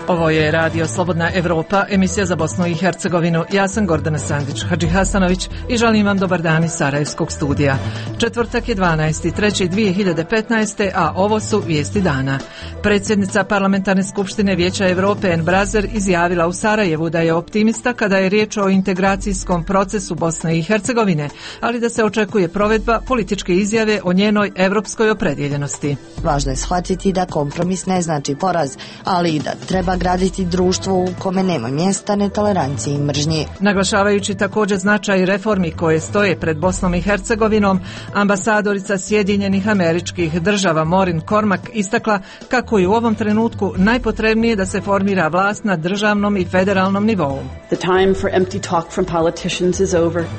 Ovo je Radio Slobodna Evropa, emisija za Bosnu i Hercegovinu. Ja sam Gordana Sandić Hadžihasanović i želim vam dobar dan iz Sarajevskog studija. Četvrtak je 12.3.2015. a ovo su vijesti dana. Predsjednica Parlamentarne skupštine Vijeća Europe Ene Brazer izjavila u Sarajevu da je optimista kada je riječ o integracijskom procesu Bosne i Hercegovine, ali da se očekuje provedba političke izjave o njenoj europskoj opredjeljenosti. Važno je shvatiti da kompromis ne znači poraz, ali i da treba graditi društvo u kome nema mjesta netoleranciji i mržnji. Naglašavajući također značaj reformi koje stoje pred Bosnom i Hercegovinom, ambasadorica Sjedinjenih Američkih Država Maureen Cormack istakla kako je u ovom trenutku najpotrebnije da se formira vlast na državnom i federalnom nivou.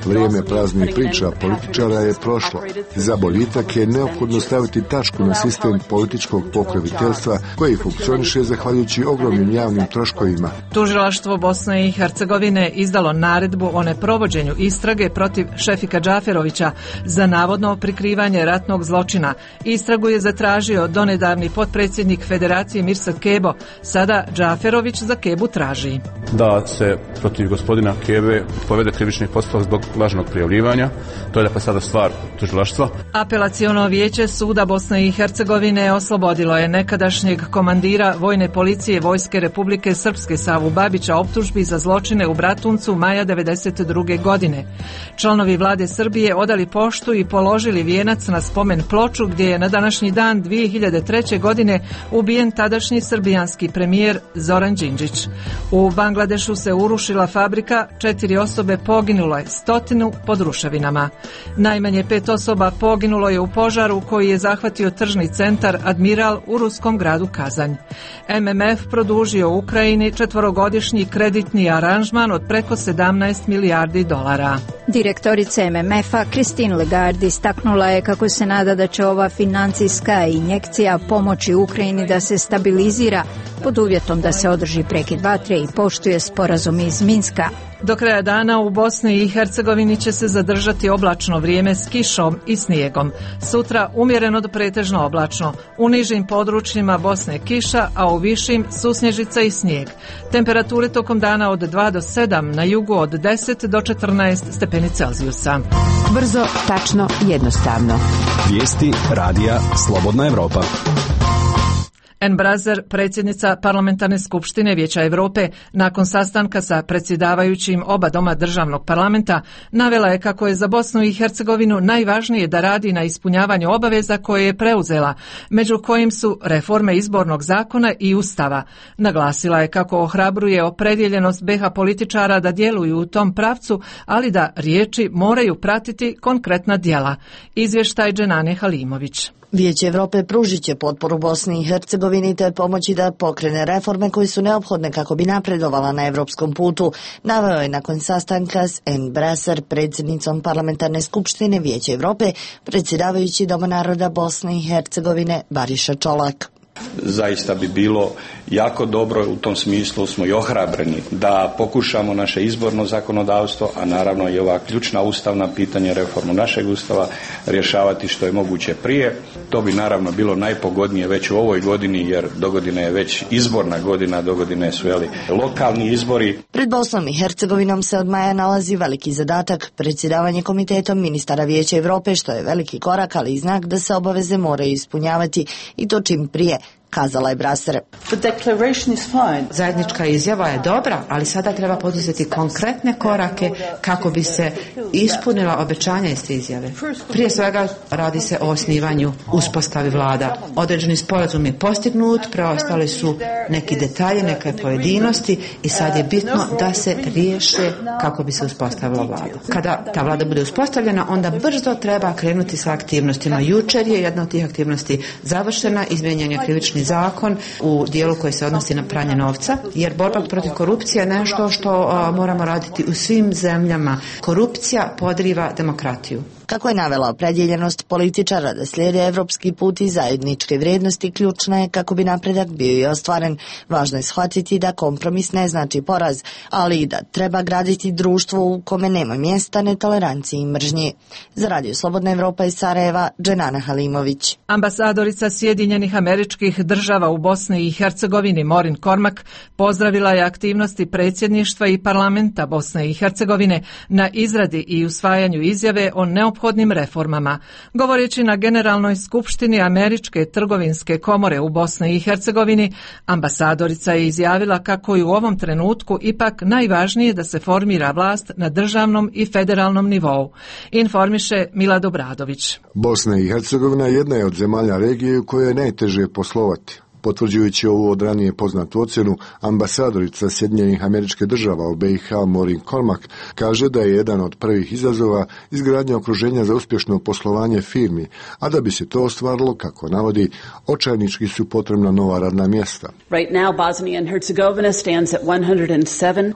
Vrijeme praznih priča političara je prošlo. Za boljitak je neophodno staviti tačku na sistem političkog pokroviteljstva koji funkcioniše zahvaljujući ogromnim javnim troškovima. Tužilaštvo Bosne i Hercegovine izdalo naredbu o neprovođenju istrage protiv Šefika Džaferovića za navodno prikrivanje ratnog zločina. Istragu je zatražio donedavni potpredsjednik Federacije Mirsad Kebo. Sada Džaferović za Kebu traži da se protiv gospodina Kebe povede krivični postupak zbog lažnog prijavljivanja. To je dakle sada stvar tužilaštva. Apelaciono vijeće suda Bosne i Hercegovine oslobodilo je nekadašnjeg komandira vojne policije Vojske Republike Srpske Savu Babića optužbi za zločine u Bratuncu maja 1992. godine. Članovi vlade Srbije odali poštu i položili vijenac na spomen ploču gdje je na današnji dan 2003. godine ubijen tadašnji srbijanski premijer Zoran Đinđić. U Bangladešu se urušila fabrika, 4 osobe poginulo je, 100 pod ruševinama. Najmanje 5 osoba poginulo je u požaru koji je zahvatio tržni centar Admiral u ruskom gradu Kazanj. MMF produžio Ukrajini 4-godišnji kreditni aranžman od preko 17 milijardi dolara. Direktorica MMF-a Christine Lagarde istaknula je kako se nada da će ova financijska injekcija pomoći Ukrajini da se stabilizira pod uvjetom da se održi prekid vatre i poštuje sporazum iz Minska. Do kraja dana u Bosni i Hercegovini će se zadržati oblačno vrijeme s kišom i snijegom. Sutra umjereno do pretežno oblačno. U nižim područjima Bosne kiša, a u višim susnježica i snijeg. Temperature tokom dana od 2 do 7, na jugu od 10 do 14 stepeni Celzijusa. Brzo, tačno, jednostavno. Vijesti Radija Slobodna Evropa. Ene Brazer, predsjednica Parlamentarne skupštine Vijeća Europe, nakon sastanka sa predsjedavajućim oba doma državnog parlamenta, navela je kako je za Bosnu i Hercegovinu najvažnije da radi na ispunjavanju obaveza koje je preuzela, među kojim su reforme izbornog zakona i ustava. Naglasila je kako ohrabruje opredjeljenost BiH političara da djeluju u tom pravcu, ali da riječi moraju pratiti konkretna djela. Izvještaj Dženane Halimović. Vijeće Europe pružit će potporu Bosni i Hercegovini te pomoći da pokrene reforme koje su neophodne kako bi napredovala na evropskom putu, naveo je nakon sastanka s Ene Brazer, predsjednicom Parlamentarne skupštine Vijeća Europe, predsjedavajući Doma naroda Bosne i Hercegovine Bariša Čolak. Zaista bi bilo jako dobro, u tom smislu smo i ohrabreni da pokušamo naše izborno zakonodavstvo, a naravno i ova ključna ustavna pitanja, reformu našeg ustava rješavati što je moguće prije. To bi naravno bilo najpogodnije već u ovoj godini, jer dogodine je već izborna godina, dogodine su lokalni izbori. Pred Bosnom i Hercegovinom se od maja nalazi veliki zadatak, predsjedavanje komitetom ministara Vijeća Europe, što je veliki korak, ali i znak da se obaveze moraju ispunjavati i to čim prije, kazala je Brazer. Zajednička izjava je dobra, ali sada treba poduzeti konkretne korake kako bi se ispunila obećanja iz te izjave. Prije svega radi se o osnivanju uspostavi vlada. Određeni sporazum je postignut, preostali su neki detalji, neke pojedinosti i sad je bitno da se riješe kako bi se uspostavila vlada. Kada ta vlada bude uspostavljena, onda brzo treba krenuti sa aktivnostima. Jučer je jedna od tih aktivnosti završena, izmijenjen je krivični zakon u dijelu koji se odnosi na pranje novca, jer borba protiv korupcije je nešto što moramo raditi u svim zemljama. Korupcija podriva demokratiju. Kako je navela opredjeljenost političara da slijede evropski put i zajedničke vrijednosti, ključna je kako bi napredak bio i ostvaren. Važno je shvatiti da kompromis ne znači poraz, ali i da treba graditi društvo u kome nema mjesta netoleranciji i mržnji. Za Radio Slobodna Evropa iz Sarajeva, Dženana Halimović. Ambasadorica Sjedinjenih Američkih Država u Bosni i Hercegovini Maureen Cormack pozdravila je aktivnosti predsjedništva i parlamenta Bosne i Hercegovine na izradi i usvajanju izjave o neophodnim reformama. Govoreći na Generalnoj skupštini Američke trgovinske komore u Bosni i Hercegovini, ambasadorica je izjavila kako je u ovom trenutku ipak najvažnije da se formira vlast na državnom i federalnom nivou. Informiše Milad Obradović. Bosna i Hercegovina jedna je od zemalja regije u kojoj je najteže poslovati. Potvrđujući ovu od ranije poznatu ocjenu, ambasadorica Sjedinjenih Američkih Država u BiH Maureen Cormack kaže da je jedan od prvih izazova izgradnja okruženja za uspješno poslovanje firmi, a da bi se to ostvarilo, kako navodi, očajnički su potrebna nova radna mjesta.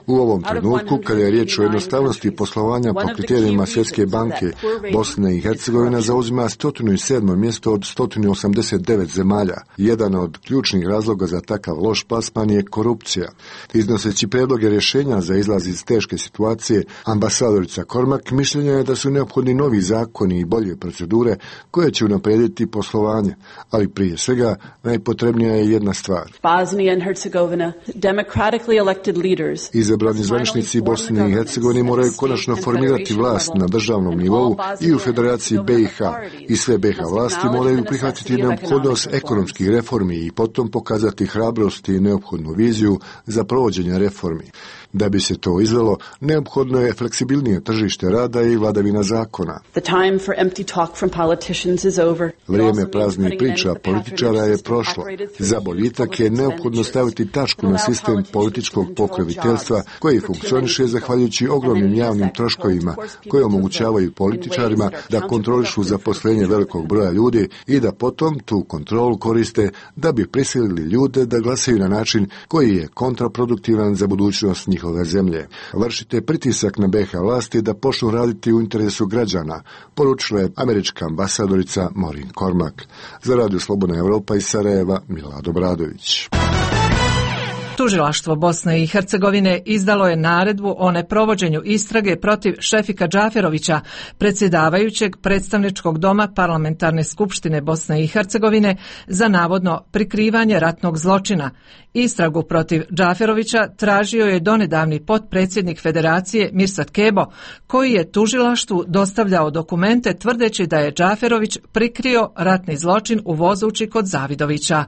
U ovom trenutku, kada je riječ o jednostavnosti poslovanja po kriterijima Svjetske banke, Bosna i Hercegovina zauzima 107. mjesto od 189 zemalja. Jedan od ključnih razloga za takav loš plasman je korupcija. Iznoseći predloge rješenja za izlaz iz teške situacije, ambasadorica Cormack mišljenja je da su neophodni novi zakoni i bolje procedure koje će unaprijediti poslovanje, ali prije svega najpotrebnija je jedna stvar. Izabrani zvaničnici Bosne i Hercegovine moraju konačno formirati vlast na državnom nivou i u Federaciji BiH i sve BiH vlasti moraju prihvatiti neophodnost ekonomskih reformi i potom pokazati hrabrost i neophodnu viziju za provođenje reformi. Da bi se to izvelo, neophodno je fleksibilnije tržište rada i vladavina zakona. Vrijeme praznih priča političara je prošlo. Za boljitak je neophodno staviti tačku na sistem političkog pokroviteljstva koji funkcioniše zahvaljujući ogromnim javnim troškovima koji omogućavaju političarima da kontrolišu zaposlenje velikog broja ljudi i da potom tu kontrolu koriste da bi prisilili ljude da glasaju na način koji je kontraproduktivan za budućnost njihove zemlje. Vršite pritisak na BiH vlasti da počnu raditi u interesu građana, poručila je američka ambasadorica Maureen Cormack. Za Radio Slobodna Evropa iz Sarajeva, Milad Obradović. Tužilaštvo Bosne i Hercegovine izdalo je naredbu o neprovođenju istrage protiv Šefika Džaferovića, predsjedavajućeg predstavničkog doma Parlamentarne skupštine Bosne i Hercegovine za navodno prikrivanje ratnog zločina. Istragu protiv Džaferovića tražio je donedavni potpredsjednik Federacije Mirsad Kebo, koji je tužilaštvu dostavljao dokumente tvrdeći da je Džaferović prikrio ratni zločin u Vozući kod Zavidovića.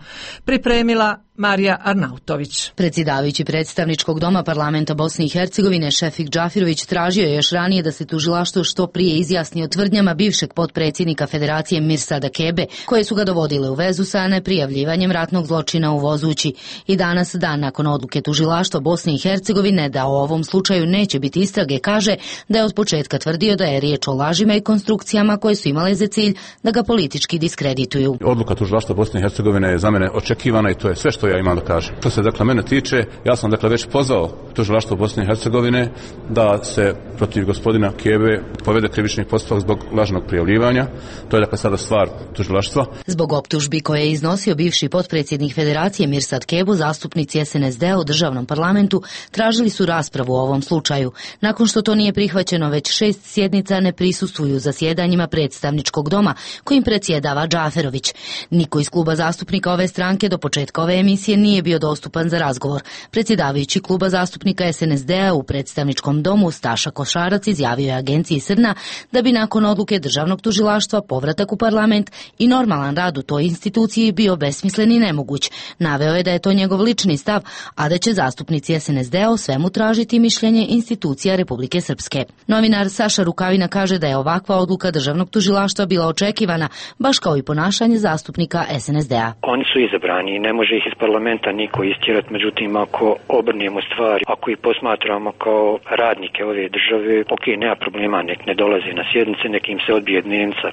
Pripremila Marija Arnautović. Predsjedavajući predstavničkog doma parlamenta Bosne i Hercegovine Šefik Džafirović tražio je još ranije da se tužilaštvo što prije izjasni o tvrdnjama bivšeg potpredsjednika Federacije Mirsada Kebe, koje su ga dovodile u vezu sa neprijavljivanjem ratnog zločina u Vozući. I danas, dan nakon odluke tužilaštva Bosne i Hercegovine da o ovom slučaju neće biti istrage, kaže da je od početka tvrdio da je riječ o lažima i konstrukcijama koje su imale za cilj da ga politički diskredituju. Odluka tužilaštva Bosne i Hercegovine je za mene očekivana i to je sve što ja imam da kažem. Što se dakle mene tiče, ja sam dakle već pozvao tužilaštvo Bosne i Hercegovine da se protiv gospodina Kebe povede krivični postupak zbog lažnog prijavljivanja. To je dakle sada stvar tužilaštva. Zbog optužbi koje je iznosio bivši potpredsjednik Federacije Mirsad Kebu, zastupnici SNSD-a u državnom parlamentu tražili su raspravu o ovom slučaju. Nakon što to nije prihvaćeno, već 6 sjednica ne prisustvuju zasjedanjima predstavničkog doma kojim predsjedava Džaferović. Niko iz kluba zastupnika ove stranke do početka ove emisije nije bio dostupan za razgovor. Predsjedavajući kluba zastupnika SNSD-a u predstavničkom domu Staša Košarac izjavio je agenciji Srna da bi nakon odluke državnog tužilaštva povratak u parlament i normalan rad u toj instituciji bio besmislen i nemoguć. Naveo je da je to njegov lični stav, a da će zastupnici SNSD-a o svemu tražiti mišljenje institucija Republike Srpske. Novinar Saša Rukavina kaže da je ovakva odluka državnog tužilaštva bila očekivana, baš kao i ponašanje zastupnika SNSD-a. Oni su izabrani i ne može ih iz parlamenta niko istjerati, međutim ako obrnemo stvari, ako ih posmatramo kao radnike ove države, ok, nema problema, nek ne dolaze na sjednice, nek im se odbije dnevnica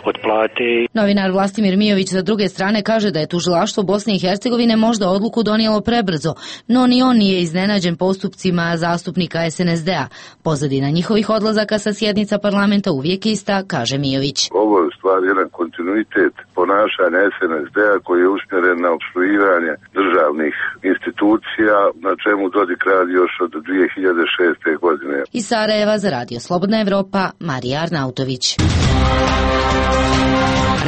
od plate. Novinar Vlastimir Mijović sa druge strane kaže da je tužilaštvo Bosne i Hercegovine možda odluku odluku donijelo prebrzo, no ni on nije iznenađen postupcima zastupnika SNSD-a. Pozadina njihovih odlazaka sa sjednica parlamenta uvijek ista, kaže Mijović. Ovo je u stvari jedan kontinuitet ponašanja SNSD-a koji je usmjeren na opstruiranje državnih institucija, na čemu Dodik radi još od 2006. godine. Iz Sarajeva za Radio Slobodna Evropa, Marija Arnautović.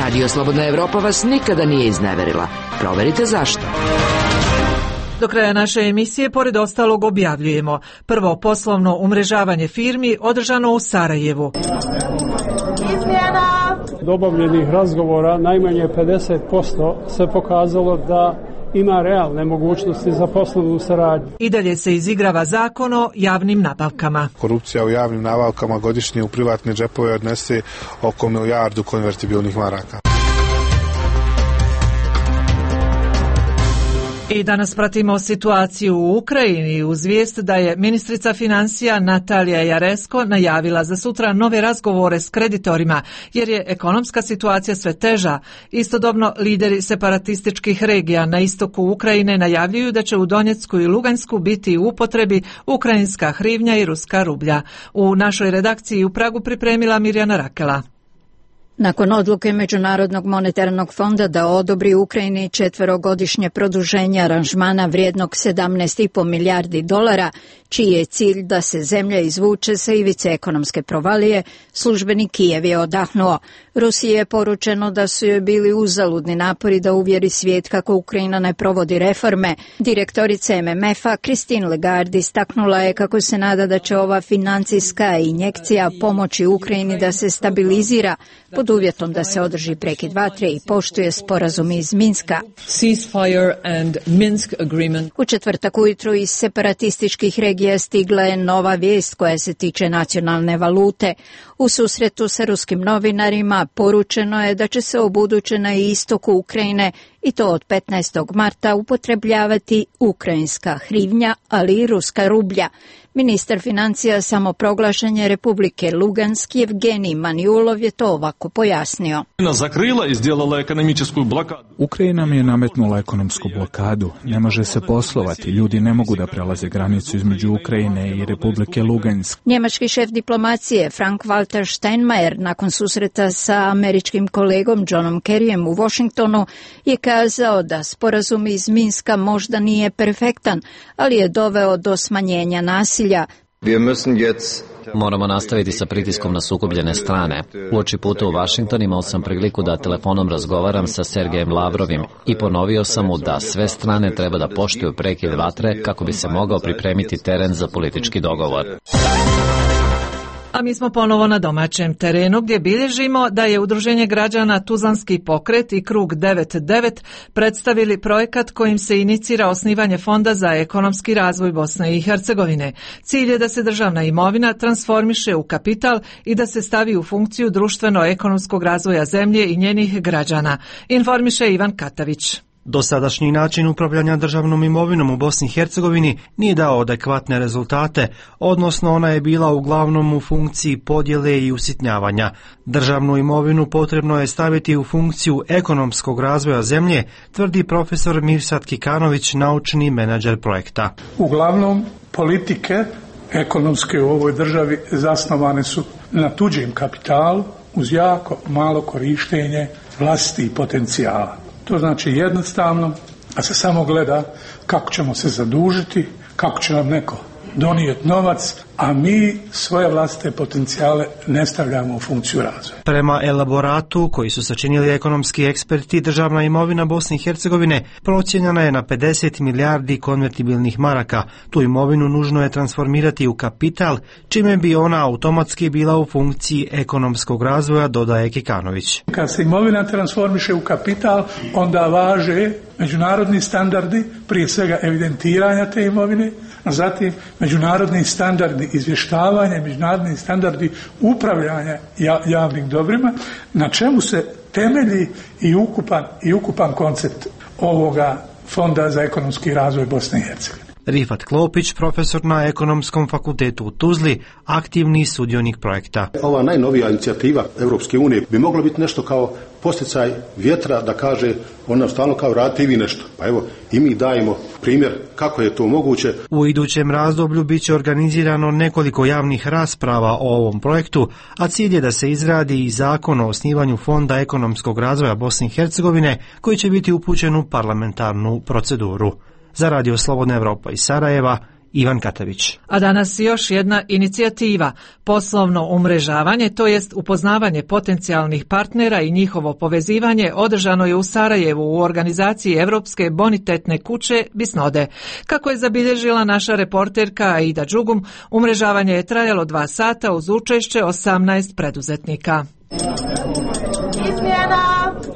Radio Slobodna Evropa vas nikada nije izneverila. Proverite zašto. Do kraja naše emisije, pored ostalog, objavljujemo: prvo poslovno umrežavanje firmi održano u Sarajevu. Od obavljenih razgovora najmanje 50% se pokazalo da ima realne mogućnosti za poslovnu saradnju. I dalje se izigrava zakon o javnim nabavkama. Korupcija u javnim nabavkama godišnje u privatne džepove odnese oko 1 milijardu konvertibilnih maraka. I danas pratimo situaciju u Ukrajini uz vijest da je ministrica financija Natalija Jaresko najavila za sutra nove razgovore s kreditorima jer je ekonomska situacija sve teža. Istodobno lideri separatističkih regija na istoku Ukrajine najavljuju da će u Donjecku i Lugansku biti u upotrebi ukrajinska hrivnja i ruska rublja. U našoj redakciji u Pragu pripremila Mirjana Rakela. Nakon odluke Međunarodnog monetarnog fonda da odobri Ukrajini 4-godišnje produženje aranžmana vrijednog $17,5 milijardi, čiji je cilj da se zemlja izvuče sa ivice ekonomske provalije, službeni Kijev je odahnuo. Rusiji je poručeno da su joj bili uzaludni napori da uvjeri svijet kako Ukrajina ne provodi reforme. Direktorica MMF-a Christine Lagarde istaknula je kako se nada da će ova financijska injekcija pomoći Ukrajini da se stabilizira pod uvjetom da se održi prekid vatre i poštuje sporazum iz Minska. U četvrtak ujutru iz separatističkih regija stigla je nova vijest koja se tiče nacionalne valute. U susretu sa ruskim novinarima poručeno je da će se ubuduće na istoku Ukrajine, i to od 15. marta, upotrebljavati ukrajinska hrivnja, ali i ruska rublja. Ministar financija samoproglašene Republike Lugansk Evgenij Maniulov je to ovako pojasnio. Ukrajina nam je nametnula ekonomsku blokadu. Ne može se poslovati. Ljudi ne mogu da prelaze granicu između Ukrajine i Republike Lugansk. Njemački šef diplomacije Frank-Walter Steinmeier nakon susreta sa američkim kolegom Johnom Kerryjem u Washingtonu je kazao da sporazum iz Minska možda nije perfektan, ali je doveo do smanjenja nasilja. Moramo nastaviti sa pritiskom na sukobljene strane. Uoči puta u Washington imao sam priliku da telefonom razgovaram sa Sergejem Lavrovim i ponovio sam mu da sve strane treba da poštuju prekid vatre kako bi se mogao pripremiti teren za politički dogovor. A mi smo ponovo na domaćem terenu gdje bilježimo da je Udruženje građana Tuzlanski pokret i Krug 99 predstavili projekat kojim se inicira osnivanje Fonda za ekonomski razvoj Bosne i Hercegovine. Cilj je da se državna imovina transformiše u kapital i da se stavi u funkciju društveno-ekonomskog razvoja zemlje i njenih građana, informiše Ivan Katavić. Dosadašnji način upravljanja državnom imovinom u Bosni i Hercegovini nije dao adekvatne rezultate, odnosno ona je bila uglavnom u funkciji podjele i usitnjavanja. Državnu imovinu potrebno je staviti u funkciju ekonomskog razvoja zemlje, tvrdi profesor Mirsad Kikanović, naučni menadžer projekta. Uglavnom, politike ekonomske u ovoj državi zasnovane su na tuđem kapitalu uz jako malo korištenje vlastitih potencijala. To znači jednostavno da se samo gleda kako ćemo se zadužiti, kako će nam neko donijeti novac, a mi svoje vlastite potencijale ne stavljamo u funkciju razvoja. Prema elaboratu koji su sačinili ekonomski eksperti, državna imovina Bosne i Hercegovine procijenjena je na 50 milijardi konvertibilnih maraka. Tu imovinu nužno je transformirati u kapital, čime bi ona automatski bila u funkciji ekonomskog razvoja, dodaje Kikanović. Kad se imovina transformiše u kapital, onda važe međunarodni standardi, prije svega evidentiranja te imovine, a zatim međunarodni standardi izvještavanja, međunarodni standardi upravljanja javnim dobrima, na čemu se temelji i ukupan koncept ovoga Fonda za ekonomski razvoj Bosne i Hercegovine. Rifat Klopić, profesor na Ekonomskom fakultetu u Tuzli, aktivni sudionik projekta. Ova najnovija inicijativa Europske unije bi mogla biti nešto kao posticaj vjetra da kaže on nam stalno kao radite i vi nešto. Pa evo i mi dajemo primjer kako je to moguće. U idućem razdoblju bit će organizirano nekoliko javnih rasprava o ovom projektu, a cilj je da se izradi i zakon o osnivanju Fonda ekonomskog razvoja Bosne i Hercegovine koji će biti upućen u parlamentarnu proceduru. Za Radio Slobodna Evropa iz Sarajeva, Ivan Katavić. A danas još jedna inicijativa, poslovno umrežavanje, to jest upoznavanje potencijalnih partnera i njihovo povezivanje, održano je u Sarajevu u organizaciji Evropske bonitetne kuće Bisnode. Kako je zabilježila naša reporterka Aida Đugum, umrežavanje je trajalo 2 sata uz učešće 18 preduzetnika.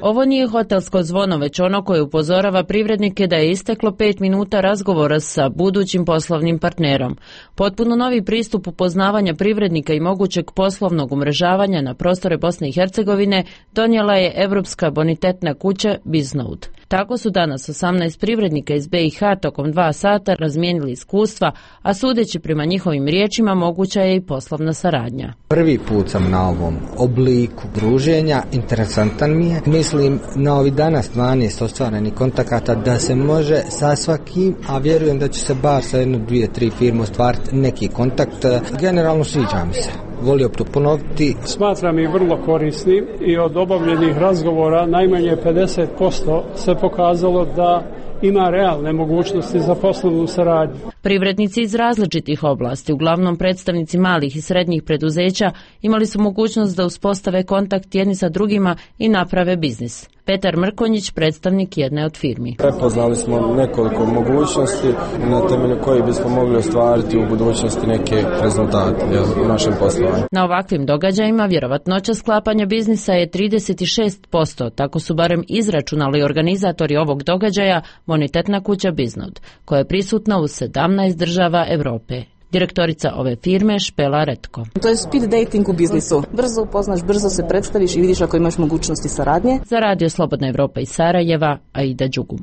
Ovo nije hotelsko zvono, već ono koje upozorava privrednike da je isteklo 5 minuta razgovora sa budućim poslovnim partnerom. Potpuno novi pristup upoznavanja privrednika i mogućeg poslovnog umrežavanja na prostore Bosne i Hercegovine donijela je Evropska bonitetna kuća Bisnode. Tako su danas 18 privrednika iz BiH tokom 2 sata razmijenili iskustva, a sudeći prema njihovim riječima moguća je i poslovna saradnja. Prvi put sam na ovom obliku druženja, interesantan mi je. Mislim na ovi danas 12 ostvarenih kontakata da se može sa svakim, a vjerujem da će se bar sa 1, 2, 3 firme ostvariti neki kontakt. Generalno sviđa mi se. Volio bi to ponoviti. Smatram ih vrlo korisnim i od obavljenih razgovora najmanje 50% se pokazalo da ima realne mogućnosti za poslovnu saradnju. Privrednici iz različitih oblasti, uglavnom predstavnici malih i srednjih preduzeća, imali su mogućnost da uspostave kontakt jedni sa drugima i naprave biznis. Petar Mrkonjić, predstavnik jedne od firmi. Prepoznali smo nekoliko mogućnosti na temelju kojih bismo mogli ostvariti u budućnosti neke rezultate u našem poslovanju. Na ovakvim događajima vjerovatnoća sklapanja biznisa je 36%, tako su barem izračunali organizatori ovog događaja Bonitetna kuća Bisnode, koja je prisutna u 17 država Europe. Direktorica ove firme Špela Retko. To je speed dating u biznisu. Brzo upoznaš, brzo se predstaviš i vidiš ako imaš mogućnosti saradnje. Za Radio Slobodna Evropa iz Sarajeva, Aida Đugum.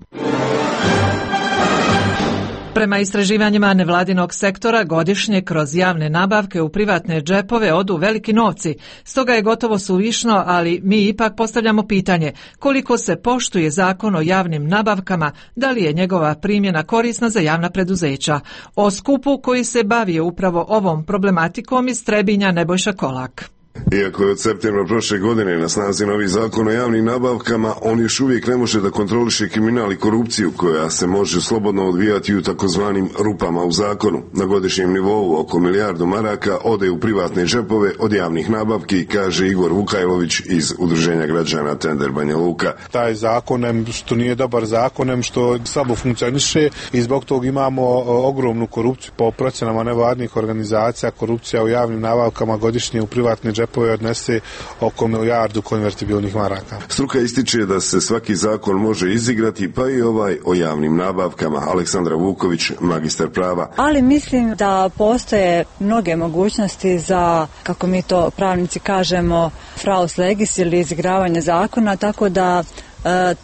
Prema istraživanjima nevladinog sektora godišnje kroz javne nabavke u privatne džepove odu veliki novci. Stoga je gotovo suvišno, ali mi ipak postavljamo pitanje koliko se poštuje zakon o javnim nabavkama, da li je njegova primjena korisna za javna preduzeća. O skupu koji se bavi upravo ovom problematikom iz Trebinja Nebojša Kolak. Iako je od septembra prošle godine na snazi novi zakon o javnim nabavkama, on još uvijek ne može da kontroliše kriminal i korupciju koja se može slobodno odvijati u takozvanim rupama u zakonu. Na godišnjem nivou oko 1 milijardu maraka ode u privatne džepove od javnih nabavki, kaže Igor Vukajlović iz Udruženja građana Tender Banja Luka. Taj zakon, što nije dobar zakon, što slabo funkcioniše i zbog tog imamo ogromnu korupciju. Po procenama nevladnih organizacija, korupcija u javnim nabavkama godišnje u privatne džepove odnese oko 1 milijardu konvertibilnih maraka. Struka ističe da se svaki zakon može izigrati, pa i ovaj o javnim nabavkama. Aleksandra Vuković, magistar prava. Ali mislim da postoje mnoge mogućnosti za, kako mi to pravnici kažemo, fraus legis ili izigravanje zakona, tako da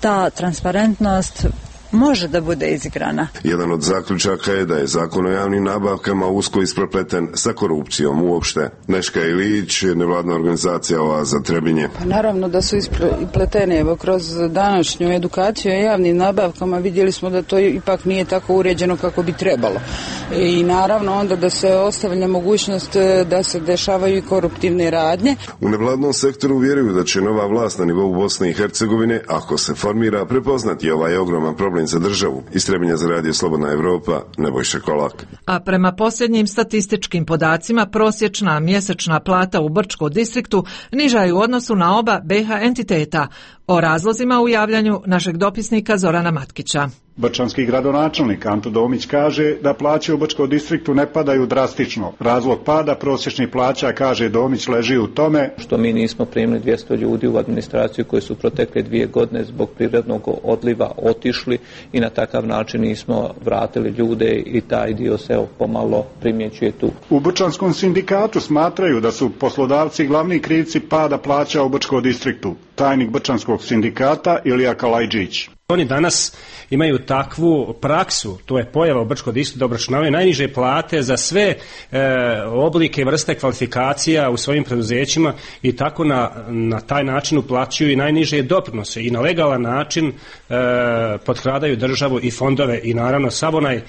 ta transparentnost može da bude izigrana. Jedan od zaključaka je da je zakon o javnim nabavkama usko isprepleten sa korupcijom uopšte. Neška Ilić, nevladna organizacija Oaza Trebinje. Pa naravno da su ispletene. Evo, kroz današnju edukaciju o javnim nabavkama vidjeli smo da to ipak nije tako uređeno kako bi trebalo. I naravno onda da se ostavlja mogućnost da se dešavaju i koruptivne radnje. U nevladnom sektoru vjeruju da će nova vlast na nivou Bosne i Hercegovine, ako se formira, prepoznati ovaj ogroman problem za državu. Iz Trebinja za Radio Slobodna Evropa, Nebojša Kolak. A prema posljednjim statističkim podacima, prosječna mjesečna plata u Brčkom distriktu niža je u odnosu na oba BiH entiteta. O razlozima u javljanju našeg dopisnika Zorana Matkića. Brčanski gradonačelnik Anto Domić kaže da plaće u Brčkom distriktu ne padaju drastično. Razlog pada prosječnih plaća, kaže Domić, leži u tome što mi nismo primili 200 ljudi u administraciju koji su protekle 2 godine zbog prirodnog odliva otišli i na takav način nismo vratili ljude i taj dio se pomalo primjećuje tu. U Brčanskom sindikatu smatraju da su poslodavci glavni krivci pada plaća u Brčkom distriktu. tajnik Brčanskog sindikata Ilija Kalajđić. Oni danas imaju takvu praksu, to je pojava u Brčkom distriktu, da obračunavaju najniže plate za sve oblike i vrste kvalifikacija u svojim preduzećima i tako na taj način uplaćuju i najniže doprinose i na legalan način potkradaju državu i fondove i naravno sav onaj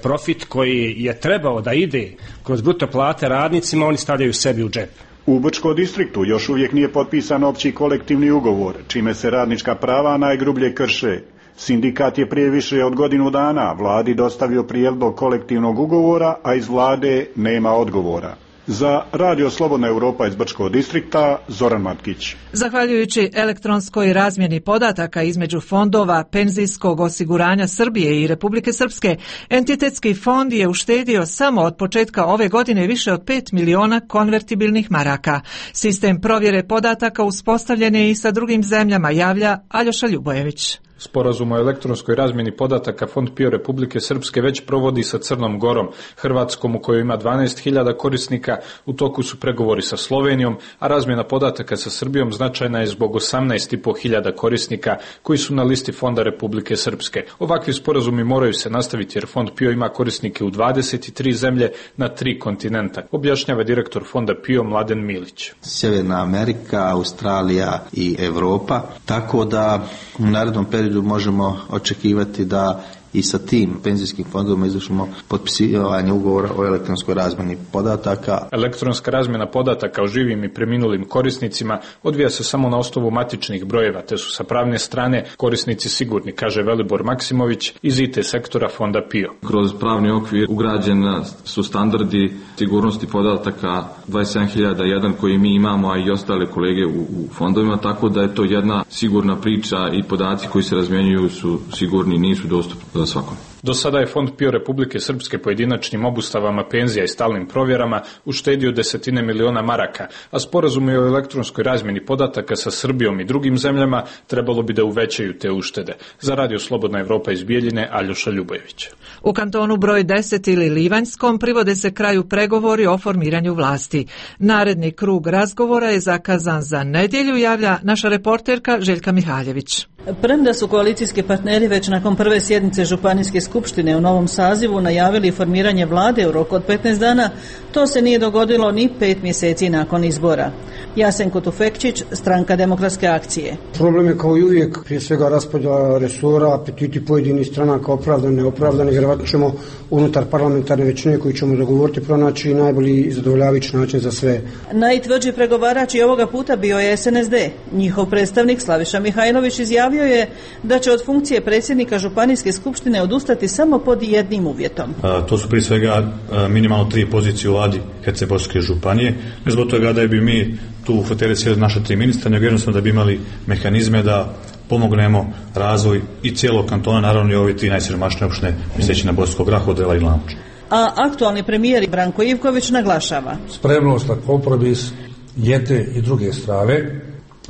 profit koji je trebao da ide kroz bruto plate radnicima, oni stavljaju sebi u džep. U Brčkom distriktu još uvijek nije potpisan opći kolektivni ugovor, čime se radnička prava najgrublje krše. Sindikat je prije više od godinu dana vladi dostavio prijedlog kolektivnog ugovora, a iz vlade nema odgovora. Za Radio Slobodna Europa iz Brčkog distrikta, Zoran Matkić. Zahvaljujući elektronskoj razmjeni podataka između fondova penzijskog osiguranja Srbije i Republike Srpske, entitetski fond je uštedio samo od početka ove godine više od 5 miliona konvertibilnih maraka. Sistem provjere podataka uspostavljen je i sa drugim zemljama, javlja Aljoša Ljubojević. Sporazum o elektronskoj razmjeni podataka Fond PIO Republike Srpske već provodi sa Crnom Gorom, Hrvatskom u kojoj ima 12.000 korisnika, u toku su pregovori sa Slovenijom, a razmjena podataka sa Srbijom značajna je zbog 18.500 korisnika koji su na listi Fonda Republike Srpske. Ovakvi sporazumi moraju se nastaviti jer Fond PIO ima korisnike u 23 zemlje na 3 kontinenta, objašnjava direktor Fonda PIO Mladen Milić. Sjeverna Amerika, Australija i Europa, tako da u narednom periodu možemo očekivati da i sa tim penzijskim fondovima izvršimo potpisivanje ugovora o elektronskoj razmjeni podataka. Elektronska razmjena podataka o živim i preminulim korisnicima odvija se samo na osnovu matičnih brojeva, te su sa pravne strane korisnici sigurni, kaže Velibor Maksimović iz IT sektora Fonda PIO. Kroz pravni okvir ugrađeni su standardi sigurnosti podataka 27.001 koji mi imamo, a i ostale kolege u fondovima, tako da je to jedna sigurna priča i podaci koji se razmjenjuju su sigurni, nisu dostupni svakom. Do sada je Fond PIO Republike Srpske pojedinačnim obustavama penzija i stalnim provjerama uštedio 10 miliona maraka, a sporazumi o elektronskoj razmjeni podataka sa Srbijom i drugim zemljama trebalo bi da uvećaju te uštede. Za Radio Slobodna Evropa iz Bijeljine, Aljoša Ljubojević. U kantonu broj 10 ili Livanjskom privode se kraju pregovori o formiranju vlasti. Naredni krug razgovora je zakazan za nedjelju, javlja naša reporterka Željka Mihaljević. Premda su koalicijski partneri već nakon prve sjednice Županijske skupštine u novom sazivu najavili formiranje vlade u roku od 15 dana, to se nije dogodilo ni 5 mjeseci nakon izbora. Jasenko Tufekčić, Stranka demokratske akcije. Problem je kao i uvijek, prije svega raspodjela resora, apetiti pojedinih stranaka, opravdane, neopravdane, vjerovatno ćemo unutar parlamentarne većine koju ćemo dogovoriti pronaći najbolji i zadovoljavajući način za sve. Najtvrđi pregovarač i ovoga puta bio je SNSD. Njihov predstavnik Slaviša Mihajlović izjavio je da će od funkcije predsjednika Županijske skupštine odustati samo pod jednim uvjetom. To su prije svega minimalno 3 pozicije u vladi Hercegovačke županije. Ne zbog toga da bi mi tu u fotelji sjeli naša 3 ministra, nego jednostavno da bi imali mehanizme da pomognemo razvoj i cijelog kantona, naravno i ove 3 najsiromašnije opštine, misleći na Bosanskog Graha, Odrela i Glamoč. A aktualni premijer Branko Ivković naglašava spremnost na kompromis jedne i druge strane,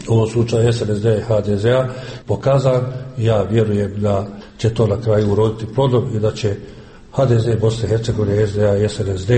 u ovom slučaju SNSD i HDZ-a, pokazan. Ja vjerujem da će to na kraju uroditi plodom i da će HDZ Bosne i Hercegovine, SDA i SNSD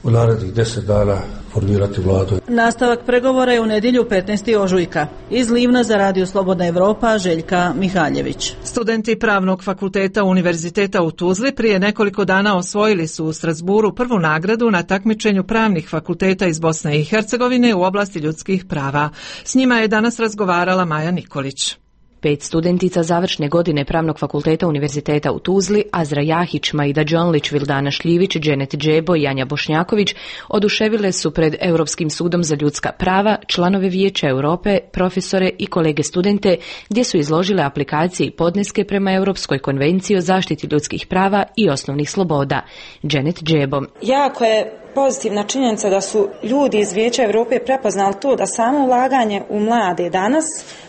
u narednih 10 dana formirati vladu. Nastavak pregovora je u nedjelju 15. ožujka. Iz Livna za Radio Slobodna Evropa, Željka Mihaljević. Studenti Pravnog fakulteta Univerziteta u Tuzli prije nekoliko dana osvojili su u Strasburu prvu nagradu na takmičenju pravnih fakulteta iz Bosne i Hercegovine u oblasti ljudskih prava. S njima je danas razgovarala Maja Nikolić. 5 studentica završne godine Pravnog fakulteta Univerziteta u Tuzli, Azra Jahić, Maida Đonlić, Vildana Šljivić, Dženet Džebo i Anja Bošnjaković oduševile su pred Europskim sudom za ljudska prava članove Vijeća Europe, profesore i kolege studente, gdje su izložile aplikacije i podneske prema Europskoj konvenciji o zaštiti ljudskih prava i osnovnih sloboda. Dženet Džebo. Jako je pozitivna činjenica da su ljudi iz Vijeća Europe prepoznali to da samo ulaganje u mlade danas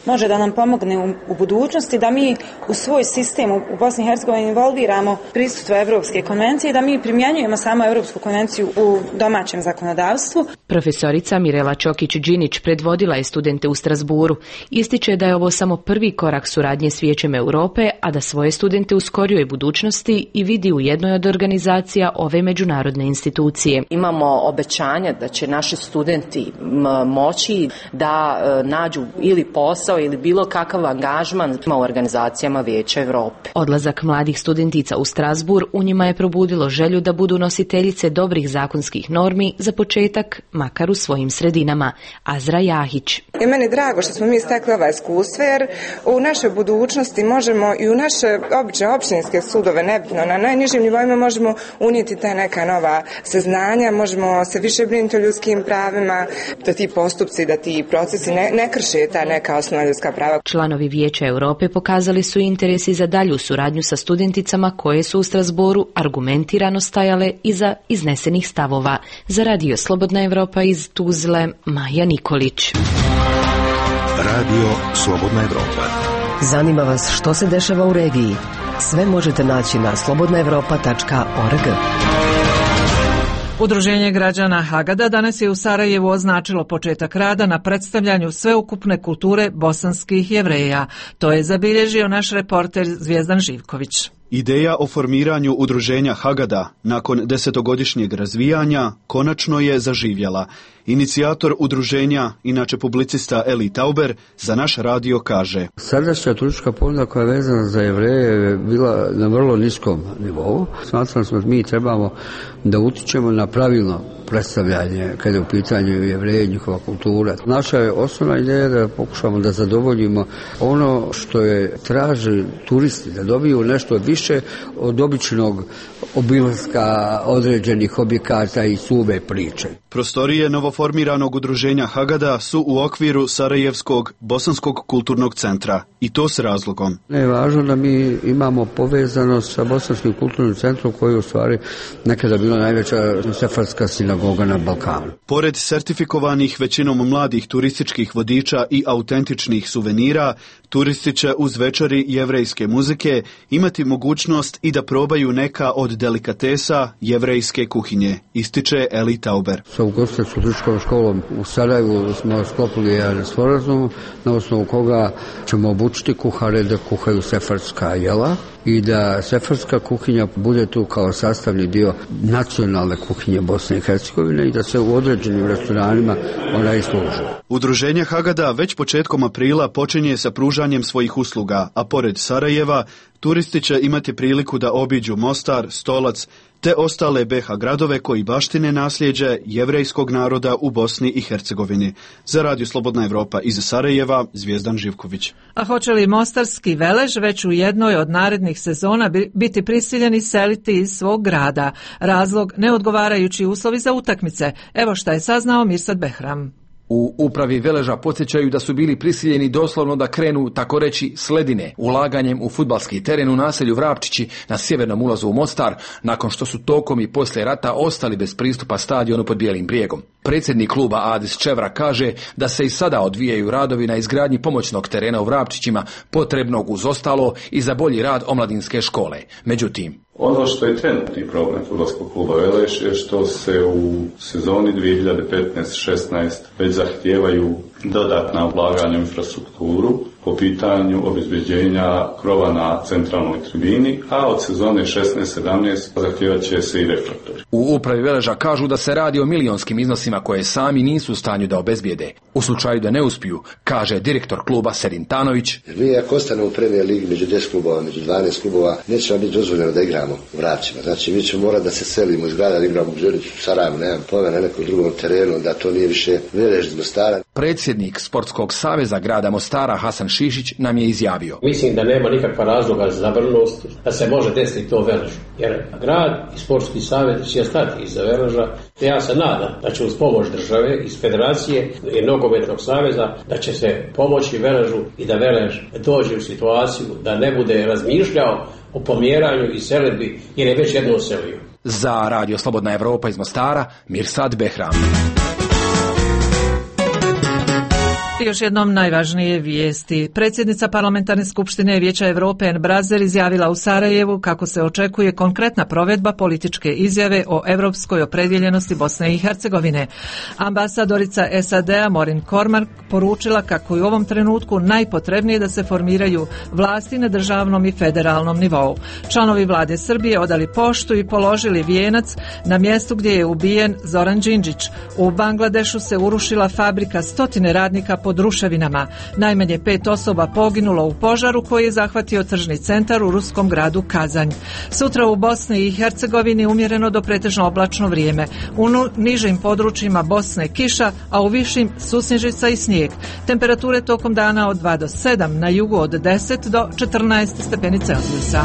može da nam pomogne u budućnosti, da mi u svoj sistem u Bosni i Hercegovini involviramo prisustvo Europske konvencije i da mi primjenjujemo samo Europsku konvenciju u domaćem zakonodavstvu. Profesorica Mirela Čokić-Đinić predvodila je studente u Strasburu. Ističe da je ovo samo prvi korak suradnje s Vijećem Europe, a da svoje studente u skorijoj budućnosti i vidi u jednoj od organizacija ove međunarodne institucije. imamo obećanja da će naši studenti moći da nađu ili posao ili bilo kakav angažman u organizacijama Vijeća Europe. Odlazak mladih studentica u Strasbourg u njima je probudilo želju da budu nositeljice dobrih zakonskih normi, za početak makar u svojim sredinama. Azra Jahić. I meni je drago što smo mi stekli ova iskustva, jer u našoj budućnosti možemo i u naše obične općinske sudove, nebitno, na najnižim nivoima možemo unijeti ta neka nova saznanja, možemo se više brinuti o ljudskim pravima, da ti postupci, da ti procesi ne krše ta neka osnovna ljudska prava. Članovi Vijeća Europe pokazali su interesi za dalju suradnju sa studenticama koje su u Strasbourgu argumentirano stajale iza iznesenih stavova. Za Radio Slobodna Evropa iz Tuzle, Maja Nikolić. Radio Slobodna Evropa. Zanima vas što se dešava u regiji? Sve možete naći na slobodnaevropa.org. Udruženje građana Hagada danas je u Sarajevu označilo početak rada na predstavljanju sveukupne kulture bosanskih Jevreja. To je zabilježio naš reporter Zvijezdan Živković. Ideja o formiranju udruženja Hagada nakon 10-godišnjeg razvijanja konačno je zaživjela. Inicijator udruženja, inače publicista Eli Tauber, za naš radio kaže: Sadašnja turistička ponuda koja je vezana za Jevreje je bila na vrlo niskom nivou. Smatrali smo da mi trebamo da utičemo na pravilno predstavljanje kada je u pitanju Jevreje i njihova kultura. Naša je osnovna ideja da pokušamo da zadovoljimo ono što je traži turisti, da dobiju nešto više od običnog obilaska određenih objekata i suve priče. Prostorije novoformiranog udruženja Hagada su u okviru Sarajevskog bosanskog kulturnog centra, i to s razlogom. Ne je važno da mi imamo povezanost sa bosanskim kulturnim centrom koji je u stvari nekada bila najveća sefardska sinagoga na Balkanu. Pored sertifikovanih većinom mladih turističkih vodiča i autentičnih suvenira, turisti će uz večeri jevrejske muzike imati mogućnost i da probaju neka od delikatesa jevrejske kuhinje, ističe Eli Tauber. Sa ugostiteljskom turističkom školom u Sarajevu smo sklopili jedan sporazum na osnovu koga ćemo obučiti kuhare da kuhaju sefardska jela i da sefardska kuhinja bude tu kao sastavni dio nacionalne kuhinje Bosne i Hercegovine i da se u određenim restoranima ona isluži. Udruženje Hagada već početkom aprila počinje sa pružanjem svojih usluga, a pored Sarajeva turisti će imati priliku da obiđu Mostar, Stolac te ostale BiH gradove koji baštine nasljeđe jevrejskog naroda u Bosni i Hercegovini. Za Radio Slobodna Evropa iz Sarajeva, Zvijezdan Živković. A hoće li mostarski Velež već u jednoj od narednih sezona biti prisiljeni seliti iz svog grada? Razlog neodgovarajući uslovi za utakmice. Evo šta je saznao Mirsad Behram. U upravi Veleža podsjećaju da su bili prisiljeni doslovno da krenu, tako reći, s ledine, ulaganjem u fudbalski teren u naselju Vrapčići na sjevernom ulazu u Mostar, nakon što su tokom i poslije rata ostali bez pristupa stadionu pod Bijelim brijegom. Predsjednik kluba Adis Čevra kaže da se i sada odvijaju radovi na izgradnji pomoćnog terena u Vrapčićima, potrebnog uz ostalo i za bolji rad omladinske škole. Međutim, ono što je trenutni problem fudbalskog kluba Veleš je što se u sezoni 2015-16 već zahtijevaju dodatna ulaganja u infrastrukturu po pitanju obezbeđenja krova na centralnoj tribini, a od sezone 16-17 zahtijevat će se i reflektori. U upravi Veleža kažu da se radi o milionskim iznosima koje sami nisu u stanju da obezbijede. U slučaju da ne uspiju, kaže direktor kluba Sedin Tanović. Mi ako ostane u Premier ligi među 10 klubova, među 12 klubova, neće nam biti dozvoljeno da igramo u Vrapčima. Znači mi ćemo morati da se selimo iz grada, da igramo u Želiću, Sarajevu, nemam pojma, na nekom drugom terenu, da to nije više Velež iz Mostara. Predsjednik Sportskog saveza grada Mostara Hasan Šišić nam je izjavio. Mislim da nema nikakva razloga za zabrinutost da se može desiti to Veležu. Jer grad i Sportski savez će stati iza Veleža. Ja se nadam da će uz pomoć države, iz federacije i nogometnog saveza, da će se pomoći Veležu i da Velež dođe u situaciju da ne bude razmišljao o pomjeranju i selidbi jer je već jednom selio. Za Radio Slobodna Evropa iz Mostara, Mirsad Behram. I još jednom najvažnije vijesti. Predsjednica Parlamentarne skupštine Vijeća Europe Anne Brazil izjavila u Sarajevu kako se očekuje konkretna provedba političke izjave o europskoj opredjeljenosti Bosne i Hercegovine. Ambasadorica SAD-a Maureen Cormack poručila kako je u ovom trenutku najpotrebnije da se formiraju vlasti na državnom i federalnom nivou. Članovi vlade Srbije odali poštu i položili vijenac na mjestu gdje je ubijen Zoran Đinđić. U Bangladešu se urušila fabrika, stotine radnika pod ruševinama. Najmanje 5 osoba poginulo u požaru koji je zahvatio tržni centar u ruskom gradu Kazanj. Sutra u Bosni i Hercegovini umjereno do pretežno oblačno vrijeme. U nižim područjima Bosne kiša, a u višim susnježica i snijeg. Temperature tokom dana od 2 do 7, na jugu od 10 do 14 stepeni Celzijusa.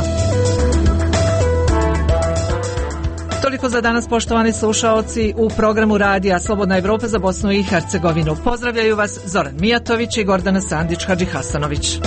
Toliko za danas, poštovani slušaoci, u programu radija Slobodna Evropa za Bosnu i Hercegovinu. Pozdravljaju vas Zoran Mijatović i Gordana Sandić-Hadžihasanović.